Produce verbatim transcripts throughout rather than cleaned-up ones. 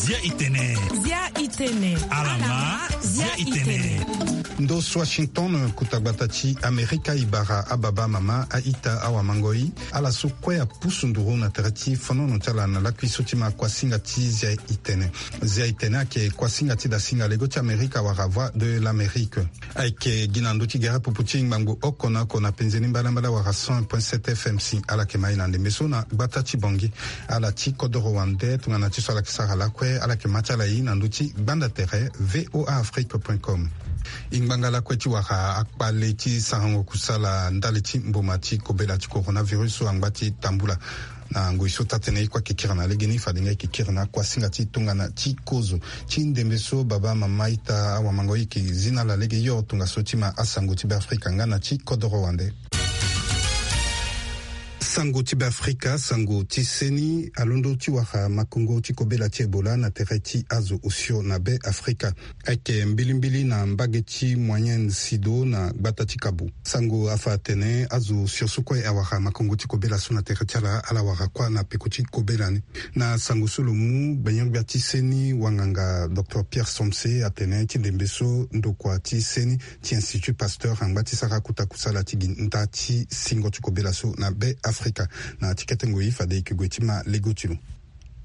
Zia itene. Zia itene. Alama. Zia itene. Ndo so Washington, kota gbata ti Amerika, e bara ababa, amama, a-ita, awamangoi, ala so kue apusu nduru na tere ti fonono ti ala na lakui so ti ma kuasinga ti Zia itene. Zia itene ayeke kuasinga ti dasinga lego ti Amerika wala Voix de l'Amérique. Ayeke gi na ndö ti gere pupu ti ngbangbo oko na oko na penze ni mbalambala wala cent point sept F M si ala yeke ma e na ndembe so na gbata ti Bangui. Ala ti kodoro wande tongana ti so ala yeke sara lakue, ala yeke ma ti ala e na ndö ti gbanda tere V O A Afrique point com. E ngbanga lakue ti wara akpale ti sarango kusala ndali ti mboma ti kobela ti coronavirus so angba ti tambula. Na ngoi so taa-tënë e kue ayeke kiri na legeni, fade nga e yeke kiri na akuasinga ti tongana ti kozo. Ti ndembe so, baba, mama, ita, awamangoi, e yeke zi na ala lege hio tongaso ti ma asango ti Beafrika nga na ti kodoro wande. Sango ti Beafrika, sango ti seni alondo ti wara makongo ti kobela ti Ebola na tere ti azo osio na Beafrika. Ayeke mbilimbili na mbage ti Moyenne Sido na gbata ti Kabo. Sango afa atene azo osio so kue awara makongo ti kobela so na tere ti ala, ala wara kuâ na peko ti kobela ni. Na sango so lo mu, gbenyo-gbia ti seni wanganga docteur Pierre Somse atene ti ndembe so ndokua ti seni ti Institut Pasteur angba ti sara kota kusala ti gi nda ti singo ti kobela so na Beafrika. Na ti kete ngoi fade e yeke gue ti ma lego ti lo.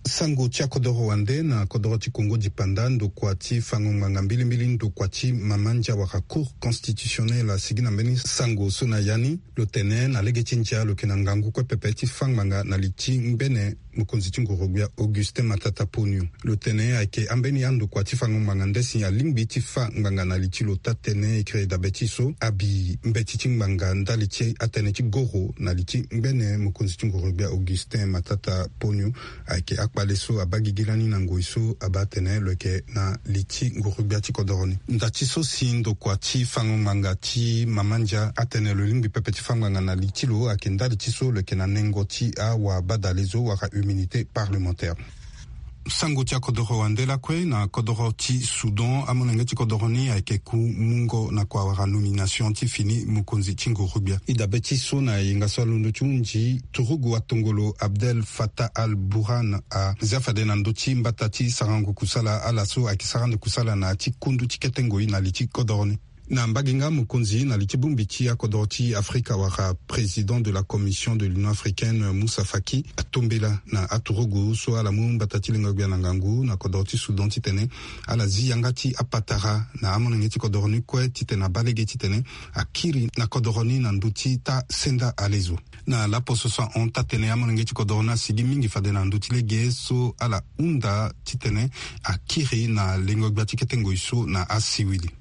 Sango ti akodoro wande na kodoro ti Kongo dipanda, ndokua ti fango ngbanga mbilimbili, ndokua ti mama ndia wala Cour constitutionnelle asigi na mbeni sango so na ya ni, lo tene na lege ti ndia lo yeke na ngangu kue pepe ti fâ ngbanga na li ti ngbene mokonzi ti nguru-gbia Augustin Matata Ponyo. Lo tene ayeke ambeni andokua ti fango ngbanga nde si alingbi ti fâ ngbanga na li ti lo. Taa-tënë écrit dabe ti so abi mbeti ti ngbanga ndali ti atënë ti goro na li ti ngbene mokonzi ti nguru-gbia Augustin Matata Ponyo. Ayeke akpale so abaa gigi lani na ngoi so abaa atene lo yeke na li ti nguru-gbia ti kodoro ni. Nda ti so si ndokua ti fango ngbanga ti mama ndia atene lo lingbi pepe ti fâ ngbanga na li ti lo ayeke ndali ti so lo yeke na nengo ti awabadale zo wala immunité parlementaire. Sango ti akodoro wande lakue na kodoro ti Soudan, amolenge ti kodoro ni ayeke ku mungo na kua wala nomination ti fini mokonzi ti nguru-gbia. E dabe ti so na yenga so alondo ti hunzi, turugu atongolo Abdel Fattah al-Burhan azia fade na ndö ti mbata ti sarango kusala ala so ayeke sara ande kusala na ya ti kundu ti kete ngoi na li ti kodoro ni. Na mbage nga mokonzi na li ti bongbi ti akodoro ti Afrika wala président de la Commission de l'Union africaine, Moussa Faki, atombela na aturugu so ala mu mbata ti lengo-gbia na ngangu na kodoro ti Soudan titene ala zi yanga ti apatara na amolenge ti kodoro ni kue titene abaa lege titene akiri na kodoro ni na ndö ti taa senda ale zo. Na laposo so ahon taa-tënë, amolenge ti kodoro ni asigi mingi fade na ndö ti lege so ala hunda titene akiri na lengo-gbia ti kete ngoi so na asiwili.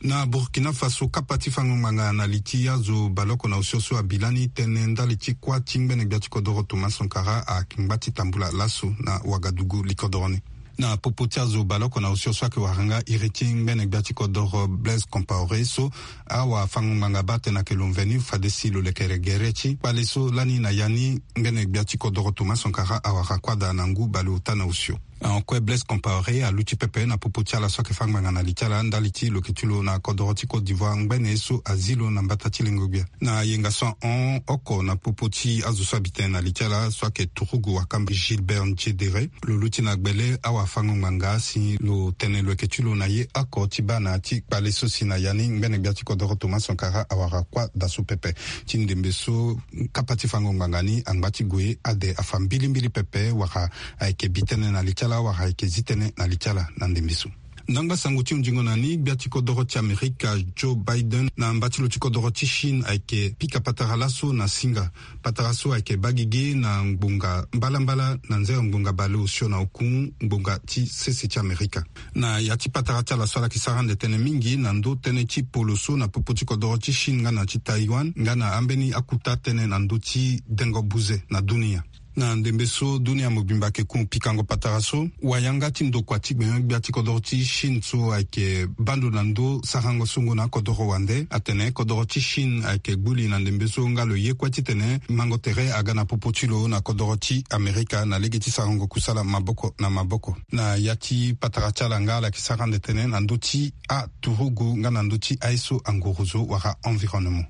Na Burkina Faso, kapa ti fango ngbanga na li ti azo baleoko na osio so abi lani tënë ndali ti kuâ ti ngbene-gbia ti kodoro Thomas Sankara angba ti tambula laso na Ouagadougou, li kodoro ni. Na popo ti azo baleoko na osio so ayeke wara nga iri ti ngbene-gbia ti kodoro Blaise Compaoré so, awafango-ngbanga baa atene ayeke lo mveni fade si lo lekere gere ti kpale so lani na ya ni ngbene-gbia ti kodoro Thomas Sankara awara kuâ daa na ngu baleota na osio. Ahon kue, Blaise Compaoré aluti pepe na popo ti ala so ayeke fâ ngbanga na li ti ala ndali ti lo yeke ti lo na kodoro ti Côte d'Ivoire ngbene so azi lo na mbata ti lengo-gbia. Na yenga so ahon oko na popo ti azo so abi tene na li ti ala so ayeke turugu wakamba Gilbert Ndiédéré, lo luti na gbele awafango-ngbanga si lo tene lo yeke ti lo na ye oko ti baa na ya ti kpale so si na ya ni ngbene-gbia ti kodoro Thomas Sankara awara kuâ daa so pepe. Ti ndembe so, kapa ti fango ngbanga ni angba ti gue ade afa mbilimbili pepe wala ayeke bi tënë na li ti ala wala ayeke zi tënë na li ti ala na ndembe so. Ndangba sango ti hunzingo na ni, gbia ti kodoro ti Amerika Joe Biden na mba ti lo ti kodoro ti Chine ayeke pika patara laso na singa. Patara so ayeke baa gigi na ngbonga mbalambala na nzere ngbonga baleosio na oku ngbonga ti sese ti Amerika. Na ya ti patara ti ala so ala yeke sara ande tënë mingi na ndö tënë ti polo so na popo ti kodoro ti Chine nga na ti Taïwan nga na ambeni akuta tënë na ndö ti dengo buze na dunia. Na ndembe so dunia mobimba ayeke ku pikango patara so, wayanga ti ndokua ti gbenyo-gbia ti kodoro ti Chine so ayeke baa ndo na ndö sarango songo na akodoro wande atene kodoro ti Chine ayeke gbu li na ndembe so nga lo ye kue titene mango tere aga na popo ti lo na kodoro ti Amerika na lege ti sarango kusala maboko na maboko. Na ya ti patara ti ala nga ala yeke sara ande tënë na ndö ti aturugu nga na ndö ti aye so angorozo wala environnement.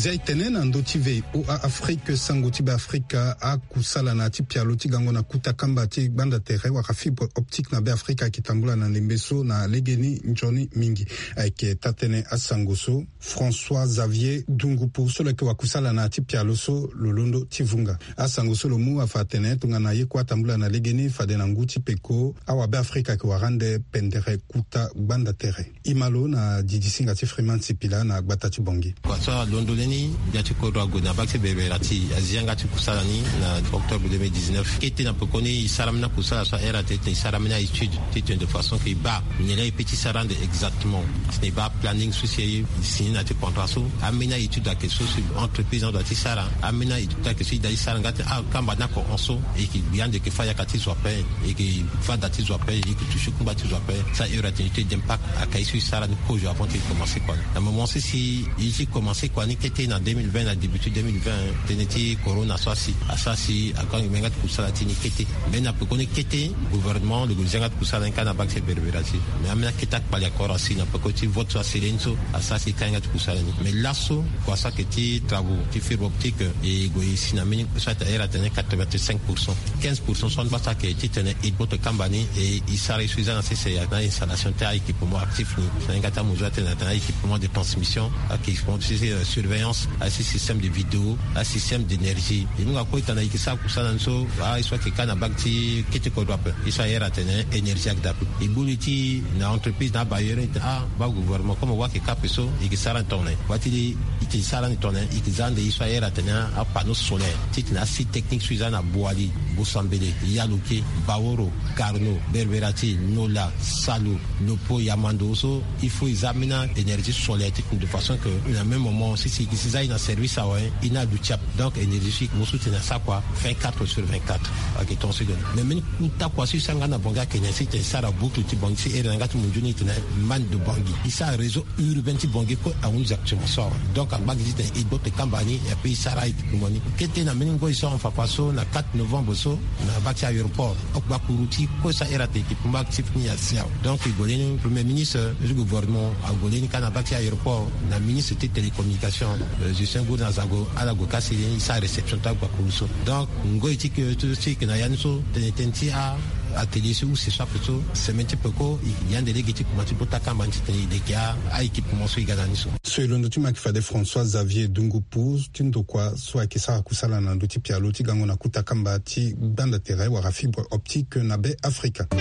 Zia e tene na ndö ti V O A Afrique, sango ti Beafrika, akusala na ya ti pialo ti gango na kuta kamba ti gbanda tere wala fibre optique na Beafrika ayeke tambula na ndembe so na legeni nzoni mingi. Ayeke taa-tënë asango so François Xavier Dungupu so lo yeke wakusala na ya ti pialo so lo londo ti vunga. Asango so lo mu afa atene tongana ye kue atambula na legeni fade na ngu ti peko, awabe Afrika ayeke wara ande pendere kuta gbanda tere. E ma lo na didisinga ti Freeman Sipila na gbata ti Bangui. Kua so alondo lani, gbia ti kodro ague na bak ti berbera ti azi yanga ti kusala ni na octobre deux mille dix-neuf. Kete na pekoni e sara ambeni akusala so ahere atene e sara ambeni aétude titene de façon que e baa nyen laa e peut ti sara ande exactement. Titene e baa planning so si e signé na ya ti contrat so, ambeni aétude ayeke so si entreprise ni adoit ti sara, ambeni aétude ayeke so e doit ti sara nga titene akamba ni ako hon so e yeke gbi ande e yeke fâ yaka ti zo ape, e yeke fâ da ti zo ape, e yeke touché kungba ti zo ape. Sa heure atene étude d'impact ayeke aye so e sara ni kozo avant ti e commencé kua ni. Na moment so si e ti commencé kua ni kete na deux mille vingt, na début ti deux mille vingt, tënë ti corona so asi, asara si agangi me yanga ti kusala ti ni kete. Mais na pekoni kete, gouvernement lo gue zi yanga ti kusala ni kâ na bak ti berbera ti. Mais ambeni akete akpali akoro asi na peko ti vote so asele ni so, asara si e ka yanga ti kusala ni. Mais laso kua so ayeke ti travaux ti fibre optique, e gue e si na mbeni so ahere atene quatre-vingt-cinq pour cent. Quinze pour cent so ande baa so ayeke titene e gboto kamba ni, e e sara ye so e za na sese ya na installation ti a-équipement actif ni. Na yanga ti amozo atene atene a-équipement de transmission, a-équipement ti, euh, surveillance, asi système de vidéo, asi système d'énergie. E mu nga kue e tene e yeke sara kusala ni so, a ye so ayeke kâ na bak ti kete kodro ape. Ye so ahere atene énergie ayeke daa ape. E gbu li ti na entreprise na abailleur ni tene, ah, baa gouvernement, comme wa ayeke kâ ape so, e yeke sara ni tongana nyen? Wa ti e tene e sara ni tongana nyen? E yeke za ande ye so ahere atene apanneau solaire, titene asite technique so e za na Boali, Bosambele, Yaloke, Baoro, Carnot, Berberatil, Nola, Salo, Lopo, Yamando so, il faut e za ambeni énergie solaire ti, de façon que na même moment si, si e yeke si za e na service awe, e na aduti ape. Donc énergie so e yeke mu so titene asara kua vingt-quatre sur vingt-quatre. Ayeke tongaso e gue na. Mais mbeni kuta kua so e sara nga na Bangui ayeke nyen? Si titene e sara boucle ti Bangui si here na yanga ti munzu ni titene man de Bangui, e sara réseau urbain ti Bangui kue ahunzi actuellement so awe. Donc angba gi titene e gboto e kamba ni, et puis e sara équipement ni. Kete na mbeni ngoi so ahon fakua so na quatre novembre so, na bak ti aéroport, oko gbakuru ti kue so ahere atene équipement actif ni asi awe. Donc e gue leni premier ministre ti gouvernement ague leni kâ na bak ti aéroport, na ministre ti télécommunication, euh, Justin Gour na Zago, ala gue kâ si e sara réception ti agbakuru so. Donc ngoi ti ke, ti ke na ya ni so, tene tënë ti a atelier so use so ape so, semaine ti peko e yeke gi ande lege ti kuma ti gboto akamba ni titene e leke a-équipement so e ga na ni so. So e londo ti ma ayeke fade François Xavier Dungupu ti ndokua so ayeke sara kusala na ndö ti pialo ti gango na kuta kamba ti gbanda tere wala fibre optique na Be Afrika. E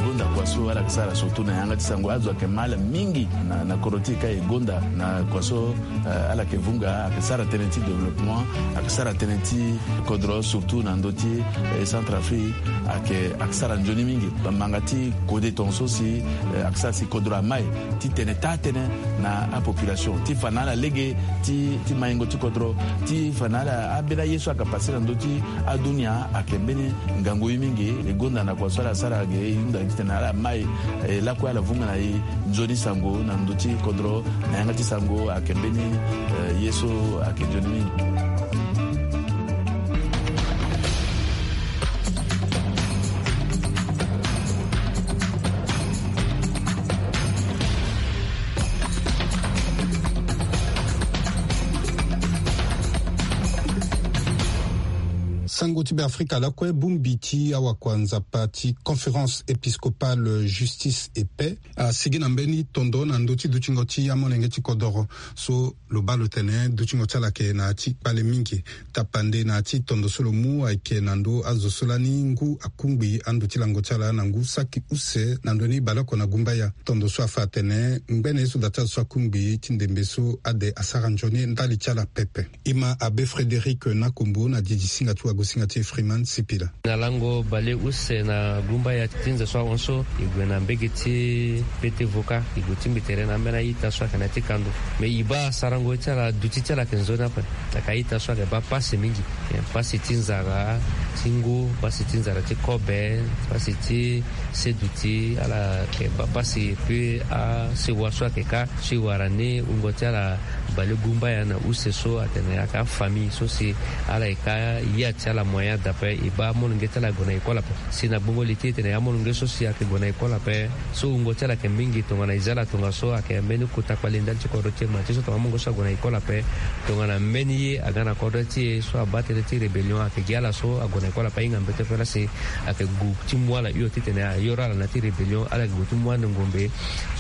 gonda kua so ala yeke sara surtout na yanga ti sango, azo ayeke ma ala mingi na, na kodro ti e kâ e gonda na kua so, eh, ala yeke vunga, ayeke sara tënë ti développement, ayeke sara tënë ti kodro surtout na ndö ti, eh, Centrafrique, ayeke, ayeke sara nzoni mingi. Bamanga ti kode tongaso si, eh, ayeke sara si kodro amai ti tene taa-tënë na apopulation ti fa na ala lege ti, ti maingo ti kodro, ti fa na ala ambeni aye so ayeke passé na ndö ti adunia ayeke mbeni ngangu ye mingi. E gonda na kua so ala sara ge, e hunda gi titene ala mai, e lakue ala vunga na e nzoni sango na ndö ti kodro, na yanga ti sango ayeke mbeni, eh, ye so ayeke nzoni mingi. Sango ti Beafrika lakue, bongbi ti awakua nzapa ti Conférence Épiscopale Justice et Paix asigi na mbeni tondo na ndö ti dutingo ti amolenge ti kodoro so lo baa lo tene dutingo ti ala ayeke na ya ti kpale mingi. Tapande na ya ti tondo so lo mu ayeke na ndö azo so lani ngu akungbi ando ti lango ti ala na ngu saki use na ndö ni baleoko na gumbaya. Tondo so afa atene ngbene ye so da ti azo so akungbi ti ndembe so ade asara nzoni ndali ti ala pepe. E ma Abbé Frédéric Nakombo na didisinga ti wagosinga ti Freeman Sipila. Na lango baleuse na gumbaya ti nze so ahon so, e gue na mbege ti pete voka, e gue tingbi tere na ambeni a-ita so ayeke na ya ti kando. Me e baa sarango ti ala, duti ti ala ayeke nzoni ape. Ayeke a-ita so ayeke baa pasi mingi. Pasi ti nzara ti ngu, pasi ti nzara ti kobe, pasi ti seduti, ala yeke baa pasi. Puis asewa so ayeke kâ so e wara ni wungo ti ala balegumbaya na use so atene ayeke afamille so si ala yeke ya ti ala. Ala moyen adapet e baa amolenge ti ala ague na école ape. Si na gbongo li ti e tene amolenge so si ayeke gue na école ape so wungo ti ala ayeke mingi tongana e za ala tongaso ayeke mbeni kota kpale ndali ti kodro ti e ma ti so tongana amolenge so ague na école ape, tongana mbeni ye aga na kodro ti e so abaa tënë ti rébellion ayeke gi ala so ague na école ape ahinga mbete pe lasi ayeke gu ti mu ala hio titene ayoro ala na ya ti rébellion ala yeke gue ti mu ande ngombe.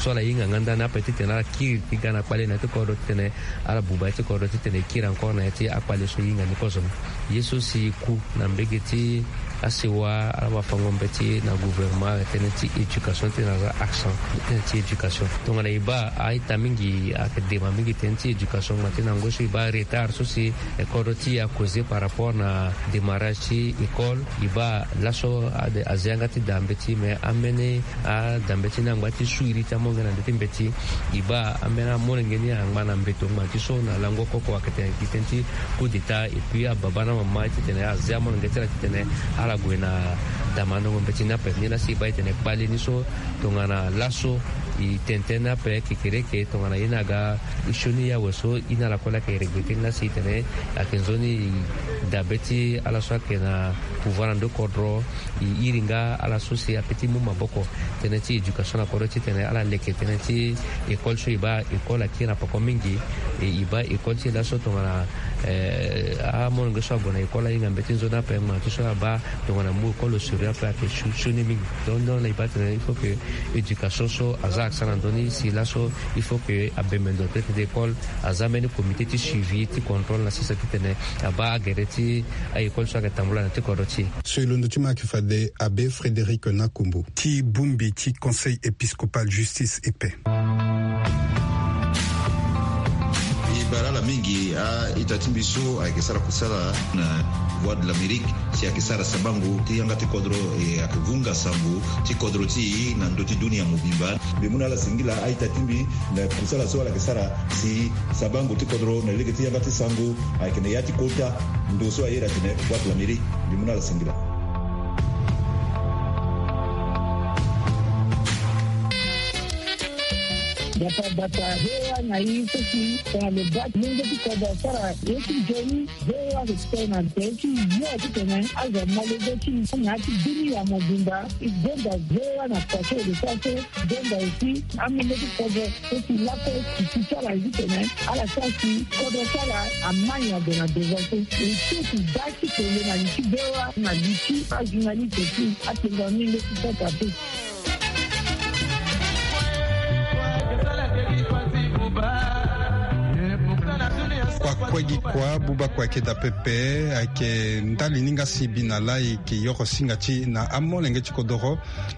So ala hinga nga ndani ape titene ala kiri ti ga na kpale na ya ti kodro titene ala buba ya ti kodro titene e kiri encore na ya ti akpale so e hinga ni kozo ni. Ye so si e ku na mbege ti asewa ala ma fango mbeti na gouvernement tënë ti éducation titene aza accent tënë ti éducation. Tongana e baa a-ita mingi ayeke dema mingi tënë ti éducation ngba ti na ngoi so e baa retard so si kodro ti e akoze par rapport na démarrage ti école. E baa laso ade aza yanga ti daa mbeti mais ambeni adambe ti ni angba ti su iri ti amolenge na ndö ti mbeti. E baa ambeni amolenge ni angba na mbeto ngba ti so na lango koko ayeke tene gi tënë ti coup d'état et puis ababa na mama titene aza amolenge ti ala titene ala gue na damandango mbeti ni ape. Ni laa si e baa e tene kpale ni so tongana laso e tene tënë ni ape kekereke tongana ye ni aga sioni ye awe so e na ala kue laa ayeke regretter ni laa si e tene ayeke nzoni dabe ti ala so ayeke na pouvoir na ndö kodro. E iri nga ala so si ape ti mu maboko tënë ti éducation na kodro titene ala leke tënë ti école so e baa école akiri na poko mingi. E e baa école ti e laso tongana amolenge so ague na école ahinga mbeti nzoni ape ngba ti so abaa tongana mu école au sérieux ape ayeke sioni mingi. Donc donc na e baa tene il faut que éducation so aza accent na ndö ni si laso il faut que abembe ndo tënë ti école aza mbeni comité ti suivi ti contrôle na sese titene abaa agere ti a-école so ayeke tambula na ti kodro ti e. So e londo ti ma ayeke fade abe Frédéric Nakumbu ti bongbi ti Conseil épiscopal justice et paix. E bara ala mingi a-ita ti mbi so ayeke sara kusala na Voix de l'Amérique si ayeke sara sabango ti yanga ti kodro e ayeke vunga sango ti kodro ti e na ndö ti dunia mobimba. Mbi mu na ala singila a-ita ti mbi na kusala so ala yeke sara si sabango ti kodro na lege ti yanga ti sango ayeke na ya ti kota ndo so aye iri atene Voix de l'Amérique. Mbi mu na ala singila. Bata bata hewa na i so si tongana lo baa ti lenge ti kodro asara ye ti nzoni. Hewa respect na tere ti yo titene azo amolenge ti i na ya ti dunia mobimba. E gonda hewa na kua so e lo sara so. Gonda aussi amolenge ti kodro so si lakue e si ti ala ye titene ala sara si kodro ti ala amai ado na devant so. E so si baa ti kele na li ti hewa na li ti ajournaliste ti atengo amolenge ti Centrafrique. Kua kue gi kua buba kua ayeke daa pepe. Ayeke ndali ni nga si e bi na laa e yeke yoro singa ti e na amolenge ti kodoro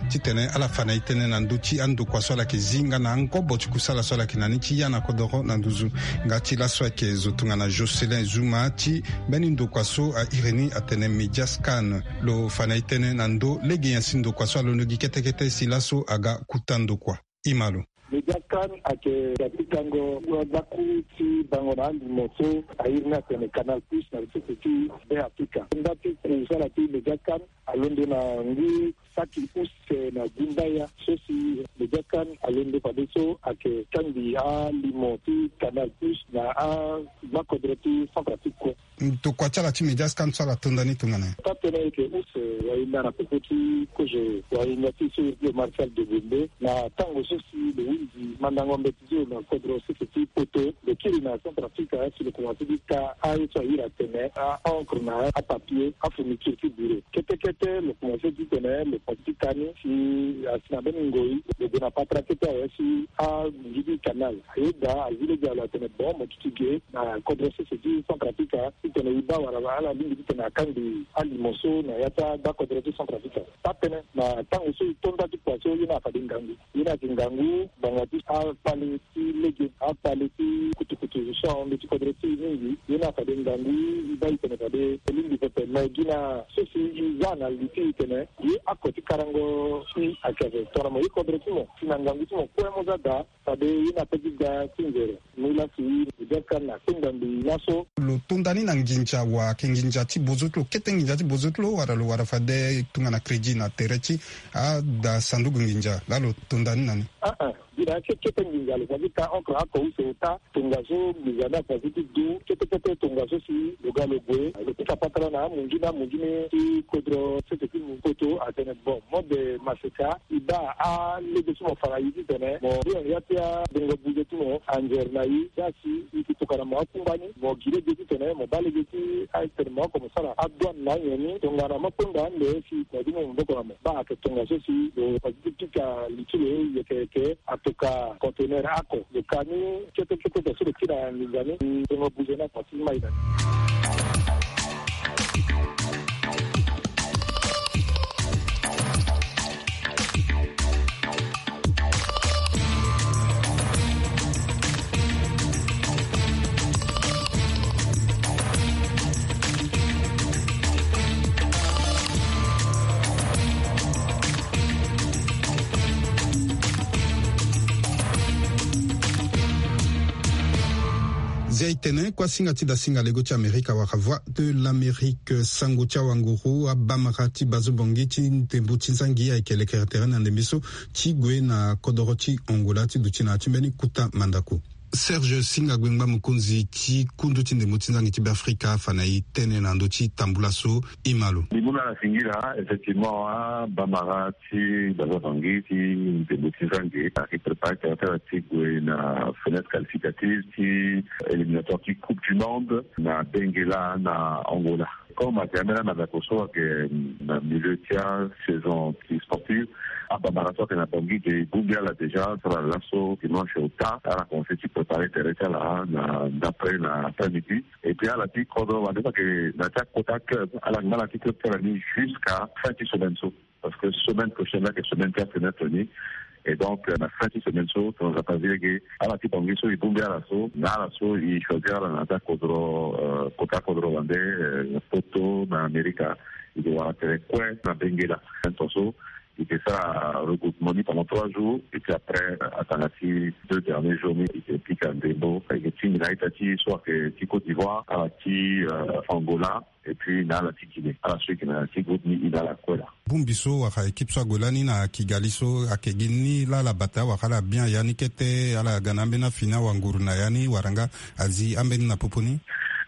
titene ala fa na e tënë na ndö ti andokua so ala yeke zi nga na angobo ti kusala so ala yeke na ni ti ya na kodoro na nduzu. Nga ti laso ayeke zo tongana Jocelyn Zuma ti mbeni ndokua so a iri ni atene Mediascan. Lo fa na e tënë na ndö lege nyen si ndokua so alondo gi kete kete si laso aga kuta ndokua. Ima lo. Mediascan ayeke ga ti kango wazaku ti bango na alimo so a iri ni atene Canal Plus na sese ti Be Afrika. Nda ti kusala ti Mediascan alondo na ngu saki use na gumbaya so si Mediascan alondo fade so ayeke kangbi alimo ti Canal Plus na agbakodro ti Centrafrique kue. Ndokua ti ala ti Mediascan so ala tonda ni tongana nyen? Taa-tënë ayeke use wahinda na popo ti kozo wahinda ti so iri ti lo Marcel Degonde na tango so si lo hunzi mandango mbeti ti lo na kodro sese ti poto. Lo kiri na Centrafrique si lo komanse ti ka aye so a iri atene a-encre na apapier, afourniture ti bureau. Kete kete lo komanse ti tene lo komanse ti ka ni si asi na mbeni ngoi lo gue na patara kete awe si agigi kanal. Ayeda azi lege na lo atene bon mo duti ge na kodro sese ti Centrafrique titene e baa wala ala lingbi titene akangbi alimo so na ya ti agbakodro ti Centrafrique. Taa-tënë na tango so e to nda ti kua so ye ni afade ngangu. Ye ni ayeke ngangu ngbanga ti akpale ti lege, akpale ti kutukutu so ahon ndö ti kodro ti e mingi. Ye ni afade ngangu e baa e tene fade e lingbi pepe me gi na so si e za na li ti e tene ye ako ti karango ti ayeke ape tongana mo ye kodro ti mo si na ngangu ti mo kue mo za daa. Fade ye ni ape ti ga ti nzere. Mu laa si Mediascan akpengba mbi laso. Lo tonda ni na nginza wa ayeke nginza ti bozo ti lo kete nginza ti bozo ti lo wala lo wara fade tongana crédit na tere ti ada sanduku nginza laa lo tonda ni na ni. Aa gi Na ya ti kete nginza lo fa ti ta okra oko use ota tongaso nginza ni afa ti ti du kete kete tongaso si lo ga lo gue lo pika patara na amungi na amungi ni ti kodro sese ti mu poto atene bon mode maseka e baa alege ti mo fa na e titene mo ri na ya ti abongo buze ti mo anzere na e za si e ke tokana mo akungba ni mo gi lege titene mo baa lege ti atene mo oko mo sara adouane na anyen ni tongana mo kpengba ande si mo di mo maboko na mo baa ayeke tongaso si lo fa ti ti pika li ti lo yeke yeke atoka conteneur ako lo ka ni kete kete so lo ti na nginza ni. Tongo buze na pasi mai na ni. Zia e tene kuasinga ti dasinga lego ti amerika wala voix de l'amérique sango ti awanguru abamara ti bazo bongi ti ndembo ti nzangi ayeke lekere tere na ndembe so ti gue na kodoro ti angola ti duti na ya ti mbeni kuta mandako. Serge Singa Gbengba, mokonzi ti kundu ti ndembo ti nzangi ti Beafrika afa na e tënë na ndö ti tambula so e ma lo. Mbi mu na ala singila, effectivement, abamara ti baza bangi ti ndembo ti nzangi ayeke préparé tere ti ala ti gue na fenêtre qualificative ti éliminatoire ti Coupe du Monde na Benguela na Angola. Comme ayeke ambeni amandako so ayeke na milieu ti asaison ti sportive, abamara so ayeke na Bangui ge e bongbi ala déjà so ala laso dimanche ota ala commencé ti préparer tere ti ala na d'après na après midi. Et puis ala ti kodro wande so ayeke na ti akota club ala ngba na ti club ti ala ni jusqu'à fin ti semaine so. Parce que semaine prochaine là que semaine quatre neuf ni. Et donc euh, na fin ti semaine so tongana zapa zi lege ala ti Bangui so e bongbi ala so na ala so e choisir ala na ta kodro euh, kota kodro wande euh, na poto na Amerika. E ke wara tere kue na Benguela. Tongaso e ke sara regroupement ni pendant trois jours et puis après euh, atanga ti deux derniers jours ni e ke pika ndembo e ke tingbi na ita ti so ayeke ti Côte d'Ivoire ala ti euh, Angola. Et puis na ala ti Guinée ala so e yeke na ti groupe ni e na ala kue laa. Bongbi so wala équipe so ague lani na Kigali so ayeke gi ni laa ala bata wala ala bien ya ni kete ala ga na ambeni afini awanguru na ya ni wala nga azi ambeni na popo ni?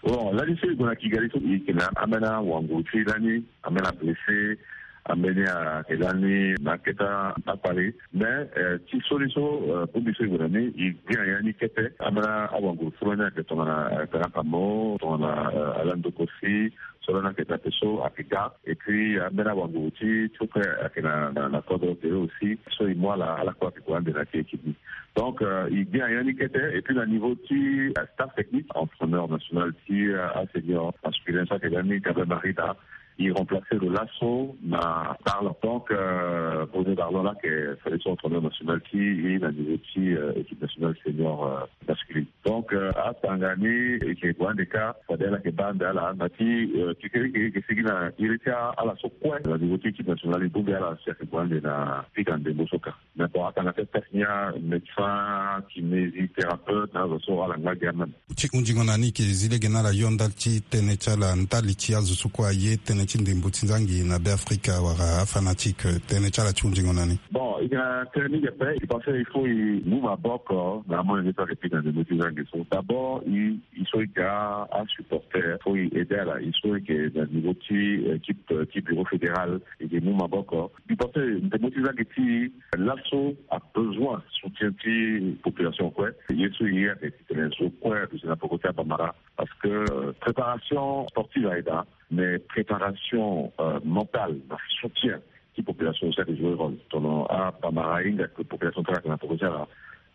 Bon lani so e gue na Kigali so e yeke na ambeni awanguru ti e lani, ambeni ablessé, ambeni ayeke lani na akete akpale. Mais euh, ti so ni so euh, bongbi so e gue na ni e gbi na ya ni kete. Ambeni awanguru so lani ayeke tongana Kanakamo, tongana euh, Alan Dokosi, so lani ayeke tate so ayeke ga. Et puis ambeni awanguru ti ti so kue ayeke na na na kodro tere aussi so e mu ala ala kue ayeke gue ande na ti équipe ni. Donc euh, e gbi na ya ni kete. Et puis na niveau ti euh, staff technique, entraîneur national ti euh, asenior masculin so ayeke ga ni Gabriel Marida, e remplacer lo laso na Darlan. Donc euh, Bruno Darlan laa ayeke fade so entraîneur national ti e na niveau ti euh, équipe nationale senior euh, masculine. Donc euh, atanga ni e yeke gue ande kâ fade ala yeke baa ande ala na ti euh, kekereke e yeke sigi na iri ti ala so kue na niveau ti équipe nationale e bongbi ala si ayeke gue ande na pika ndembo so kâ. Mais bon atanga ti atest ni amédecin, kinésithérapeute na azo so ala ngba gi ameme. Ti hunzingo na ni e ke zi lege na ala yo ndali ti tënë ti ala ndali ti azo so kue aye tënë ti ndembo ti nzangi na Beafrika wala afanatike tënë ti ala ti hunzingo na ni. Bon e yeke na tënë mingi ape. E pense il faut e mu maboko na amolenge so ayeke pika ndembo ti nzangi so d'abord e e so e ga asupporter faut e aide ala e so e yeke na niveau ti équipe ti bureau fédéral e yeke mu maboko. Mbi pense ndembo ti nzangi ti laso abesoin soutien ti population kue. Ye so e ye ayeke titene zo kue aduti na peko ti abamara. Parce que euh, préparation sportive aye daa mais préparation euh, mentale na soutien ti population aussi ayeke jouer rôle. Tono abamara ahinga ke population ti ala ayeke na peko ti ala.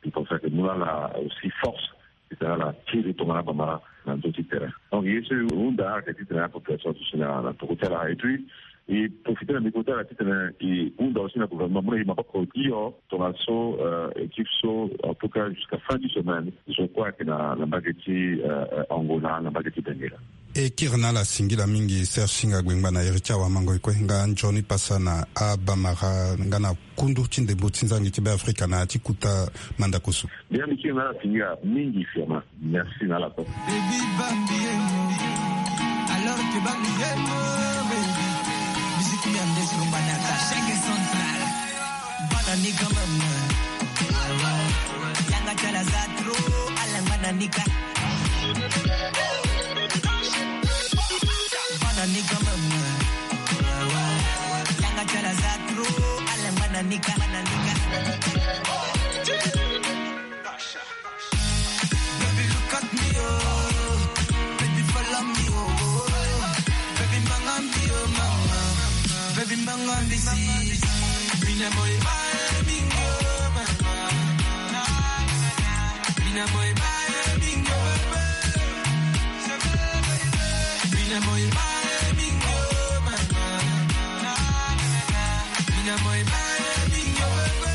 Mbi pense ayeke mu na ala aussi force. Ti tene ala tiri tongana abamara na ndö ti terrain. Donc ye so e hunda ayeke titene apopulation aduti na na peko ti ala et puis e profiter na micro ti ala titene e hunda aussi na gouvernement mu na e maboko hio tongaso euh, équipe so en tout cas jusqu'à fin du semaine zo kue ayeke na na mbage ti euh, euh, Angola na mbage ti Benguela. E kiri na ala singila mingi Serge Singa Gbengba na iri ti awamango e kue nga nzoni pasa na abamara nga na kundu ti ndembo ti nzangi ti Beafrika na ya ti kuta mandako so. Bien mbi kiri na ala singila mingi fiama. Merci na ala kue. Baby bambi emo. Alors que bambi emo baby. Musique mia ndesi lomba na ta chaque central. Bana ni quand même. Baby, look at me, oh. Baby, follow me, oh. Baby, manga me, oh, mama. Baby, manga me, see. Mina boy, my mingo, mama. Mina boy, my mingo, mama. Mina boy, my mingo, mama. Mina boy, my mingo, mama.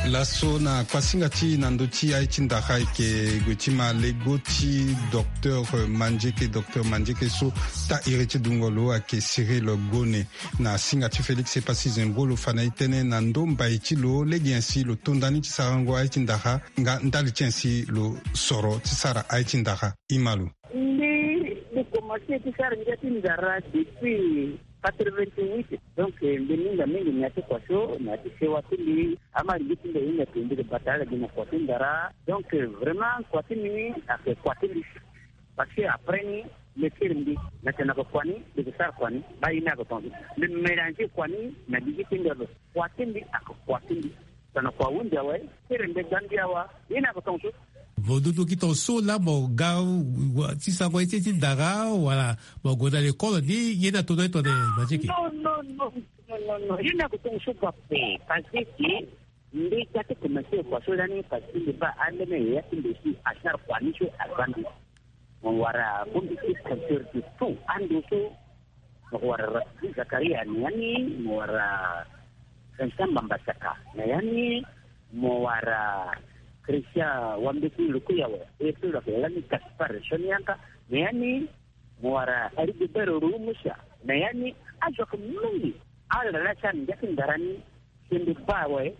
Laso na kuasinga ti na ndö ti aye ti ndara ayeke gue ti ma lego ti docteur Mandieke, docteur Mandieke so ta iri ti dungo lo ayeke Cyril Gone. Na singa ti Félix Epassi Zembro lo fa na e tënë na ndö mbai ti lo lege nyen si lo to ndani ti sarango aye ti ndara nga ndali ti nyen si lo soro ti sara aye ti ndara. Ima lo. Mbi, mbi komanse ti sara ngia ti ndara depuis quatre-vingt-huit. Donc, eh, mbi minga mingi na ya ti kua so, na ya ti sewa ti mbi, ama lingbi ti mbi ahinga tonga mbi ke bata ala gi na kua ti ndara. Donc, eh, vraiment, kua ti mbi ayeke kua ti mbi. Parce que après ni, mbi kiri mbi, na tena ko kua ni, mbi ke sara kua ni, ba ye ni ayeke tonga so. Mbi mélanger kua ni na gigi ti mbi ape. Kua ti mbi ayeke kua ti mbi. Tena kua ahunzi awe, kiri mbi gbangbi awa, ye ni ayeke tonga so. Mo dudu gi tonga so laa mo ga wa, ti sango ye ti, ti ndara, wala mo gue na lekole ni, ye ni ato na ye tongana Mandieke? Non, non, non, non, non, non. Ye ni ayeke tonga so ga ape, parce que mbi ga ti komanse kua so lani, parce que mbi baa ambeni yaya ti mbi si asara kua ni so aza mbi. Mo wara bongbi ti compteur de tout ando so. Mo wara Rachid Zakaria na ya ni, mo wara Vincent Mbambasaka na ya ni, mo wara Christian Wambeti Lukuyawe, e so lo yeke lani Gaspard Sonianka na ya ni, mo wara Rigobert Rumusa na ya ni. Azo ayeke mingi. Ala laa ti ala na ngia ti ndara ni, si mbi baa awe,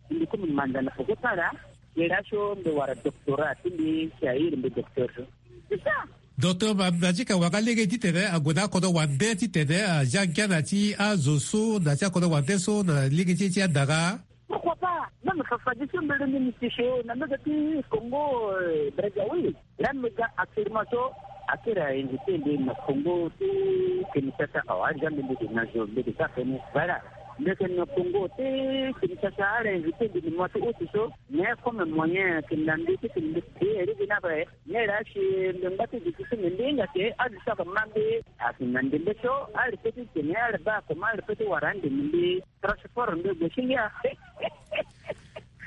si mbi komi manda na poko ti ala, si laso mbi wara doctorat ti mbi, si a iri mbi docteur so. C'est ça. Docteur Ma-, Mandieke awara lege titene ague na akodro wande titene azia ngia na ti azo so, na ti akodro wande so na lege ti e ti andara. Pourquoi pas? Même fa fadeso mbi lingbi ni ti so na mbage ti Congo, euh, Brazzaville. Laa mbi ga actuellement so, akiri a invité mbi na Congo ti Kinshasa awe, azia mbi, mbi ke na zo, mbi ke ga feni. Voilà. Mbi ke na Congo ti Kinshasa, ala invité mbi na mois ti août so. Mais comme moyen ayeke na mbi ti tene mbi payé lege ni ape, mais laa si mbi ngba ti duti ti mbi, mbi hinga ke azo so ayeke ma mbi ayeke na ndembe so, ala peut ti tene, ala baa comment ala peut ti wara ande na mbi. Transport ndo gue si ngia.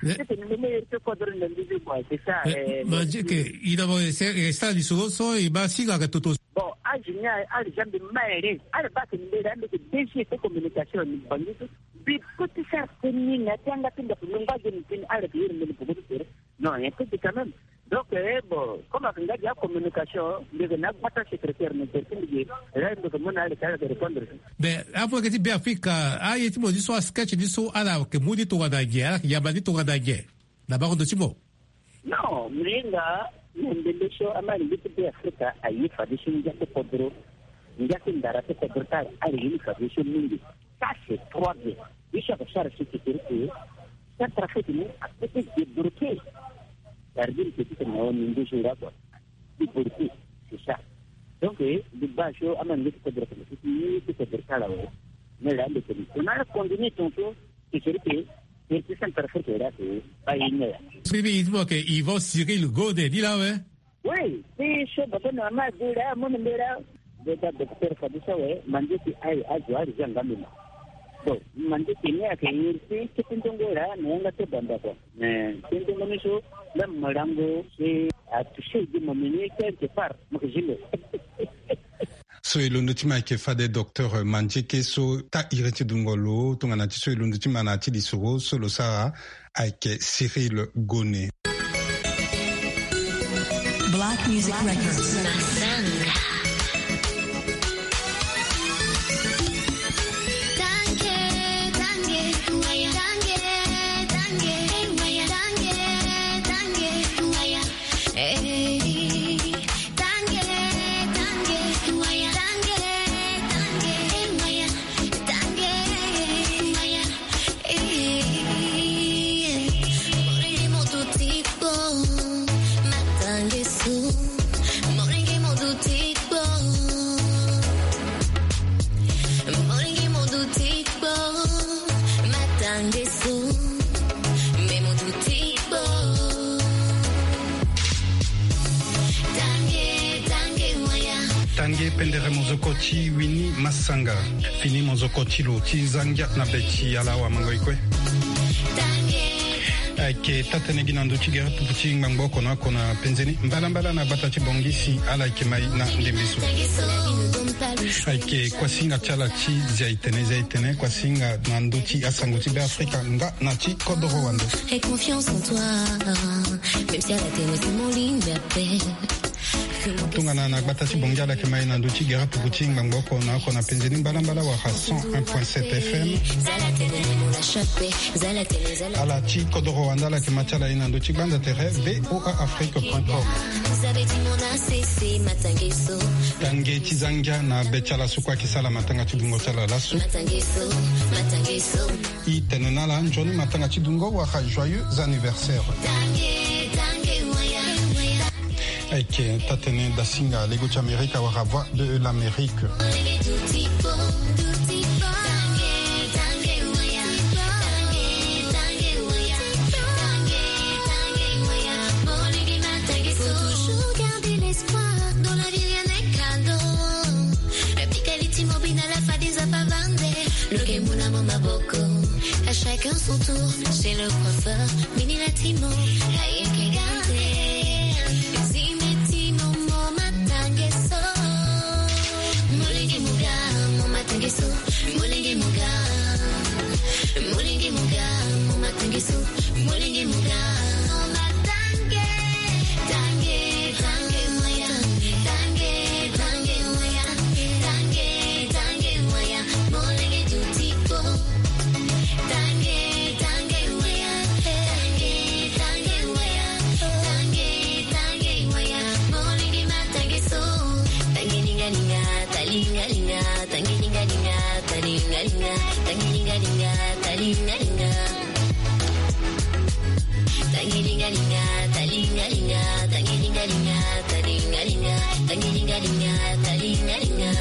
Titene mbi me iri ti kodro ndo mbi zi kua, c'est ça. Eh, eh, Mandieke, i na mo, eh, sara lisoro so, i ma singa ka toto. Bon, azo ni aye, ala zia mbi ma ere, ala baa tene mbi laa mbi yeke D G ti communication na Bangui so. Mbi peut ti sara tënë ni na ya ti yanga ti ndaku, mbi ngba ge ni tënë, ala yeke iri mbi na poko ti tere. Non, un peu quand même. Donc, eh, bon, comme ayeke nga gi acommunication, mbi yeke na agbata secrétaire na tere ti mbi ge, là mbi yeke mu na ala, ala yeke répondre. Mais amu yeke ti Beafrika, aye ti mo ni so, asketch ni so, ala yeke mu ni tongana nyen, ala yeke yamba ni tongana nyen na bango ndo ti mo? Non, mbi hinga na ndembe so, ama lingbi ti Beafrika aye fadeso ngia ti kodro, ngia ti ndara ti kodro ti ala, ala ye ni fadeso mingi. Ça, c'est trois bien. Ye so ayeke sara si titene ke Centrafrique ni apeut ti débloquer. Ça veut dire que titene na wani ndoso nga kua. Débloquer, c'est ça. Donc, eh, mbi baa so ama ndoso ti kodro tene si ti ye ti kodro ti ala awe. Mais là, mbi tene si on a continué tongaso, c'est sûr que, eh, ti Centrafrique là, c'est pas une heure. Bibi, il faut que Yvan Cyril Gode ni laa awe. Oui, ti so baba na mama adu laa, amu na mbi laa. Mbi baa docteur fadeso awe, Mandieke aye, azo ala zia nga mbi ma. Bon, Mandieke ni ayeke iri ti kete ndongo laa na yanga ti banda kua. Mais kete ndongo ni so, même molango si atouché gi mo meni quelque part, mo yeke zi ndo. So e londo ti ma ayeke fade docteur Mandieke so ta iri ti dungo lo, tongana ti so e londo ti ma na ya ti lisoro so lo sara ayeke Cyril Gone. Black Music Records. Pendere mozoko ti wini masanga. Fini mozoko ti lo ti zangia na be ti ala awa mango ikue. Ayeke taa-tënë gi na ndö ti gere pupu ti ngbangbo oko na oko na penze ni mbalambala na gbata ti Bangui si ala yeke mai na ndembe so. Ayeke kuasinga ti ala ti zia itene zia itene kuasinga na ndö ti asango ti Be Afrika nga na ti kodoro wande. Tongana na gbata ti Bangui ala yeke mai na ndö ti gere pupu ti ngbangbo oko na oko na penze ni mbalambala wala cent un point sept F M. Ala ti kodoro wande ala yeke ma ti ala ye na ndö ti gbanda tere V O A Afrique point com. Tange ti zangia na be ti ala so kue ayeke sara matanga ti bungo ti ala laso. E tene na ala nzoni matanga ti dungo wala joyeux anniversaire. Ayeke taa-tënë dasinga lego ti Amerika wala Voix de l'Amérique. Faut toujours garder l'espoir dans la vie, rien n'est cadeau. Pika li ti mo bina la fade nzapa vande. Lo yeke mu na mo maboko. À chacun son tour, chez le coiffeur. Mini la ti mo, ayeke gande. Zime ti mo mo matange so. Molenge mo ga, mo matange so. Molenge mo ga. Molenge mo ga, mo matange so. Molenge mo ga. Mo matange. Tange, tange, moya. Tange, tange, moya. Tange, tange, moya. Molenge duti po. Tange, tange, moya. Tange, tange, moya. Tange, tange, moya. Molenge matange so. Tange linga linga, talinga linga. Tange linga linga, talinga linga. Tange linga linga, talinga linga. Tange linga linga, talinga linga. Tange linga linga, talinga linga. Tange linga linga, talinga linga.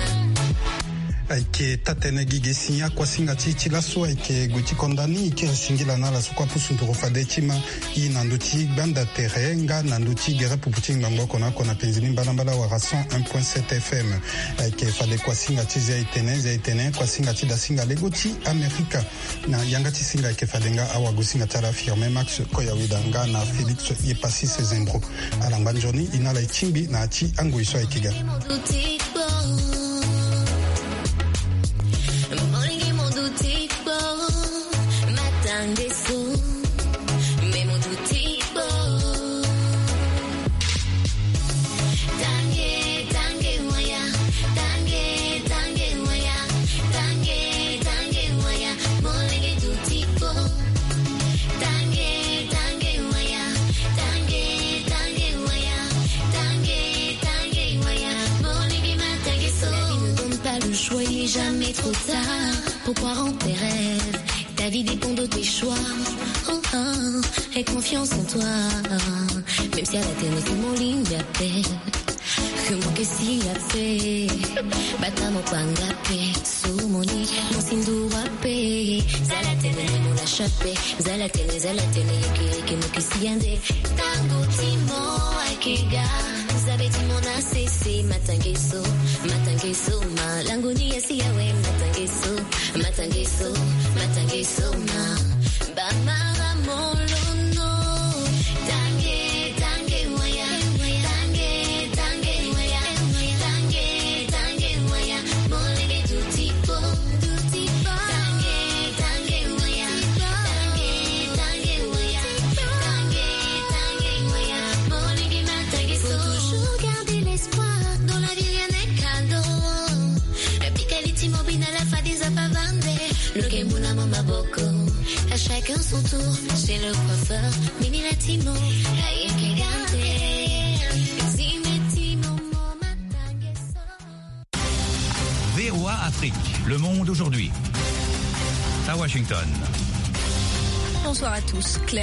Ayeke taa-tënë gi ge si akuasinga ti ti laso ayeke gue ti konda ni e kiri singila na ala so kue apusu nduru fade ti ma. E na ndö ti gbanda tere nga na ndö ti gere pupu ti ngbangbo oko na oko na penzi ni mbalambala wala cent un point sept F M. Ayeke fade kuasinga ti zia etene zia etene kuasinga ti dasinga lego ti Amerika. Na yanga ti singa ayeke fade nga awagosinga ti ala Firmin Max Koyaweda nga na Félix Yepassis Zembro. Ala ngba nzoni e na ala e tingbi na ya ti angoi so ayeke ga. Pas le choix, il est jamais trop tard pour croire en tes rêves. Ta vie dépend de tes choix. Oh, oh, aie confiance en toi. Même si à la terre, c'est mon ligne d'appel. Ke mo ke si ape. Bata mo kpanga pe. So mo ni mo si nduru ape. Zala tene mo lâche ape. Zala tene, zala tene, yeke, yeke mo ke si ande. Tango ti mo ayeke ga. Zabe ti mo na sese, matange so, matange so, malango ni ya si awe, matange so, matange so, matange so, ma. Bamara molono. Tange, tange, waya. Tange, tange, waya. Tange, tange, waya. Molenge duti po. Duti po. Tange, tange, waya. Tange, tange, waya. Tange, tange, waya. Molenge matange so. Faut toujours garder l'espoir. Dans la vie, rien n'est cadeau. Pika li ti mo bina la fade nzapa vande. Lo ke mu na mo maboko. À chacun son tour, chez le coiffeur. Mini la ti mo, ayeke gande. Zime ti mo mo matange so. V O A Afrique, le monde aujourd'hui. À Washington. Bonsoir à tous. Claire